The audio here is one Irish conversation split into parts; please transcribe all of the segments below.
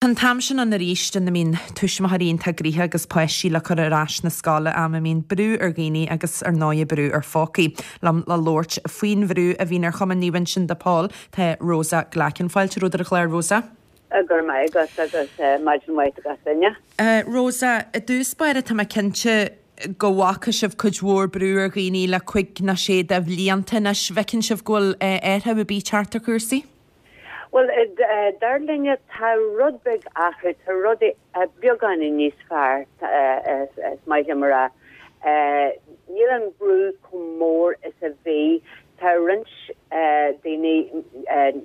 Tá an t-am sin ann arís ina mbíonn tuismitheoirí iontach gnoitheach agus páistí le cur ar ais na scoile, am a mbíonn brú ar dhaoine agus ar ndóigh brú ar phócaí. Liom le labhairt faoin bhrú a bhíonn ar Chumann Naomh Uinseann de Pól tá Rosa Glackin. Fáilte romhat ar an chlár, Rosa. Go raibh maith agat agus maidin mhaith do gach duine. Rosa, i dtús báire tá mé cinnte go bhfaca sibh cuid mhór brú ar dhaoine le cuig nó sé de bhlianta anois. Bhfeiceann sibh go bhfuil athrú ar bith teacht ar chúrsaí? Bhuel, dar linne, tá rud beag athrú, tá rudaí beagáinín níos fearr, is maith liom a rá. Níl an brú chomh mór is a bhí. Tá roinnt daoine,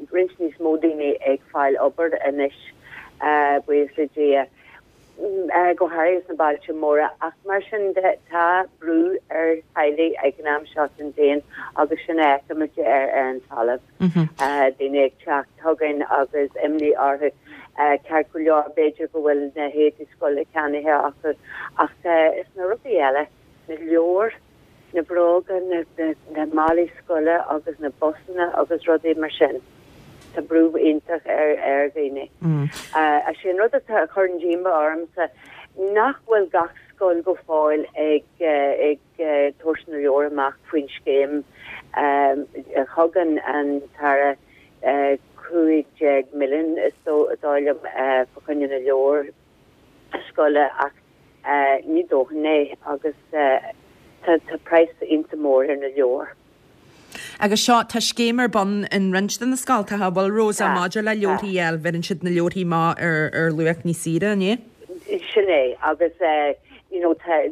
roinnt níos mó daoine ag fáil obair anois, buíochas le Dia. go háirithe sna bailte móra, ach mar sin de, tá brú ar theaghlaigh ag an am seo den bhliain agus sin a fheicimid ar an talamh. Daoine ag teacht chugainn agus imní orthu. Ceart go leor, b'fhéidir go bhfuil na héadaí scoile ceannaithe acu, ach is na rudaí eile, na leabhair, na bróga, na málaí scoile agus na busanna agus rudaí mar sin. Tá brú iontach ar dhaoine. Is é an rud atá a chuireann díomá ormsa nach bhfuil gach scoil go fóill ag tabhairt na leabhar amach faoin scéim. Thug an tAire 15 milliún is dóigh liom fá choinne na leabhar scoile ach Ní dóthain é agus tá praghas iontach mór ar na leabhair. Agus seo, tá scéim ar bun in roinnt de na scoltacha, an bhfuil, Rosa, maidir le leabharthaí a fháil, bheireann siad na leabharthaí amach ar luach níos saoire, an ea? Sin é, agus you know tá,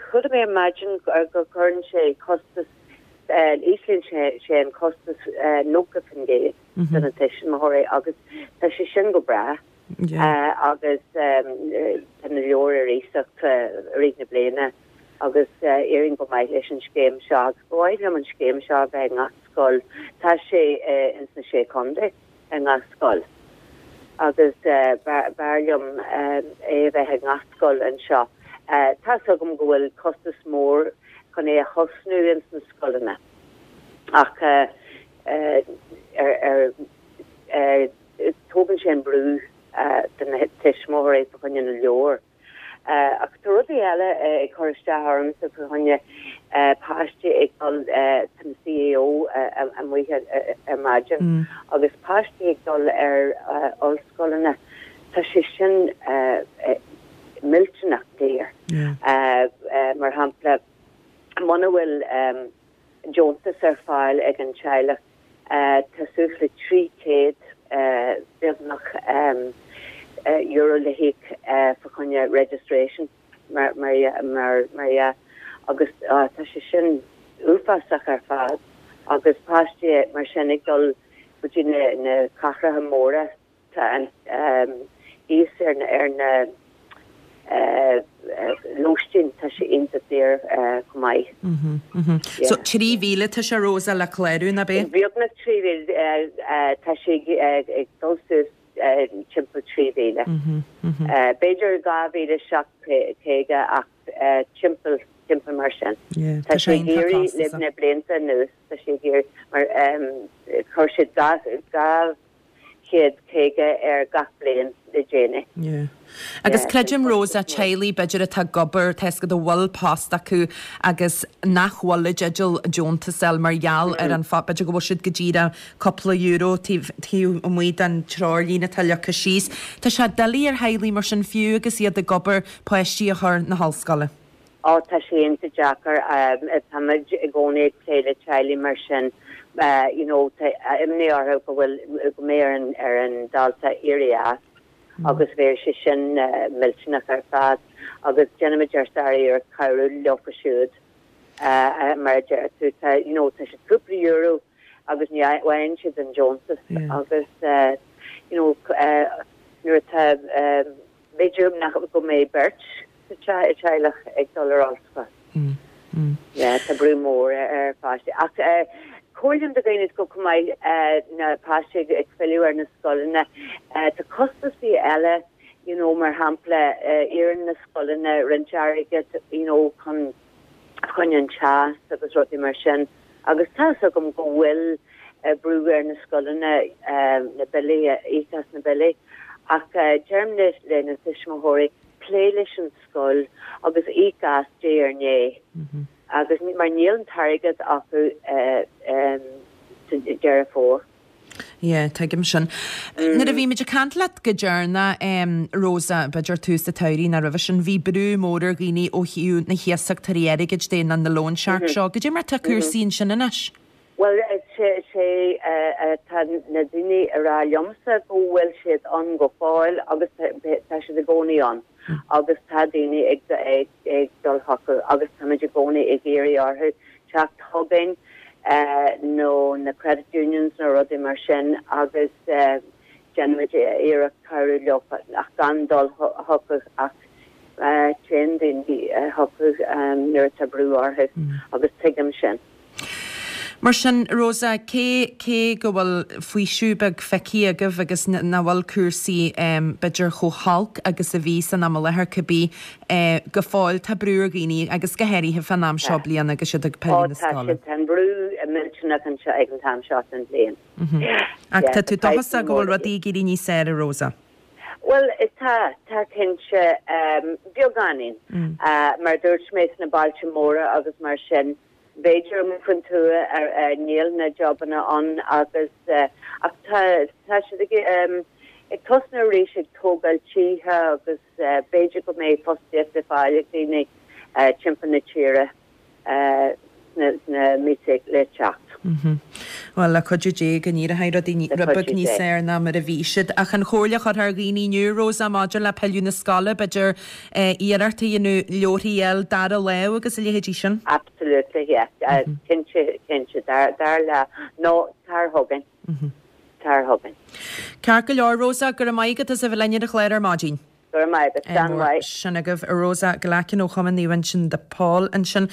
chuala mé ar maidin go gcuireann sé costas, íslíonn sé an costas 90% do na tuismitheoirí agus tá sé sin go breá. Agus tá na leabhair ar iasacht i rith na bliana agus éiríonn go maith leis an scéim seo agus ba mhaith liom an scéim seo a bheith i ngach scoil. Tá sé ins na Sé Chontae i ngach scoil agus b'fhearr liom é a bheith i ngach scoil anseo. Tá's agam go bhfuil costas mór chun é a thosnú ins na scoileanna ach ar Tógann sé an brú de na tuismitheoirí fá choinne na leabhar. Ach tá rudaí eile ag cur isteach ormsa fá choinne páistí ag dul, tá na CAO amuigh ar maidin, agus páistí ag dul ar ollscoileanna, tá sé sin millteanach daor. Mar shampla, muna bhfuil deontas ar fáil ag an teaghlach, Tá suas le 300, beagnach, euro le híoc fá choinne registration, mar dhea, agus tá sé sin uafásach ar fad agus páistí mar sin ag dul go dtí na cathracha móra. Tá an cíos ar na lóistín, tá sé iontach daor chomh maith. So 3,000 tá sé Rosa le clárú, nach ea? Beagnach 3,000, tá sé ag dul suas timpeall 3,000. B'fhéidir 2,750 ach timpeall, timpeall mar sin. Tá sé ag éirí le na blianta anuas, tá sé ag éirí mar chuir siad 250 ar gach bliain le déanaí. Yeah. Agus creidim Rosa, teaghlaigh b'fhéidir atá ag obair, tá 'fhios agat a bhfuil post acu agus nach bhfuil i dteideal deontas a fháil mar gheall ar an phost, b'fhéidir go bhfuil siad go díreach cúpla euro taobh taobh amuigh den treoirlíne atá leagtha síos. Tá sé doiligh ar theaghlaigh mar sin fiú agus iad ag obair páistí a chur na hollscoile. Ó, tá sé iontach deacair. Táimid i gcónaí ag plé le teaghlaigh mar sin. You know, tá imní orthu go bhfuil, go mbeidh ar an, ar an dalta éirí as agus bheadh sé sin millteanach ar fad agus déanaimid ár sár-iarracht cabhrú leofa siúd. Mar a deir tú, tá, you know, tá siad cúpla euro agus ní fhaigheann siad an deontas agus, you know, nuair atá, B'fhéidir nach go mbeidh beirt sa teaghlach ag dul ar ollscoil. Yeah, tá brú mór ar pháistí. Ach comhairlím do dhaoine go chomh maith na páistí ag filleadh ar na scoileanna. Tá costasaí eile, you know, mar shampla, iarrann na scoileanna roinnt airgid, you know, chun choinne an teas agus rudaí mar sin. Agus tá's agam go bhfuil brú ar na scoileanna na billí a íoc as na billí. Ach deirim le na tuismitheoirí, pléigh leis an scoil agus íoc as diaidh ar ndiaidh agus mar níl an t-airgead acu sa Deireadh Fómhair. Yeah, tuigim sin. Nuair a bhí muid ag caint leat go deireanach, Rosa, b'fhéidir tús an tsamhraidh nó roimhe sin, bhí brú mór ar dhaoine ó thaobh na hiasachtóirí airgid de nó na loan sharks seo. Goidé mar tá cúrsaí ansin anois? Bhuel, sé atá na daoine a rá liomsa go bhfuil siad ann go fóill agus tá siad i gcónaí ann agus tá daoine ag dul chucu agus táimid i gcónaí ag iarraidh orthu teacht chugainn nó na credit unions nó rudaí mar sin agus déanaimid iarracht cabhrú leo ach gan dul chucu ach téann daoine chucu nuair atá brú orthu agus tuigim sin. Mar sin, Rosa, cé, cé go bhfuil faoiseamh beag feicthe agaibh agus nach bhfuil cúrsaí, b'fhéidir, chomh holc agus a bhí san am i láthair, cibé, go fóill tá brú ar dhaoine agus go háirithe fán am seo bliana agus iad ag pilleadh na scoile. Ó tá sé, tá an brú millteanach anseo ag an t-am seo den bhliain. Ach tá tú dóchasach go bhfuil rudaí ag éirí níos fearr, a Rosa? Bhuel, tá, tá cinnte, beagáinín. Mar a dúirt mé, sna bailte móra agus mar sin, b'fhéidir amuigh faoin tuath níl na jobanna ann agus, ach tá, tá siad ag, ag tosnú arís ag tógáil tithe agus b'fhéidir go mbeidh fostaíocht le fáil ag daoine timpeall na tíre. sna míosa le teacht. Bhuel, le cuidiú Dé go n-éireoidh rudaí rud beag níos fearr ná mar a bhí siad. Ach an chomhairle a chuirfeá ar dhaoine inniu, Rosa, maidir le pilleadh na scoile, b'fhéidir iarracht a dhéanamh leabharthaí a fháil dara lámh agus a leithéidí sin? Absolutely, yeah. Cinnte, cinnte. Dara lámh. Nó tar chugainn. Tar chugainn. Ceart go leor, Rosa, go raibh maith agat as a bheith linn ar an chlár ar maidin. Go raibh maith agat. Slán. Sin agaibh Rosa Glackin ó Chumann Naomh Uinseann de Pól ansin.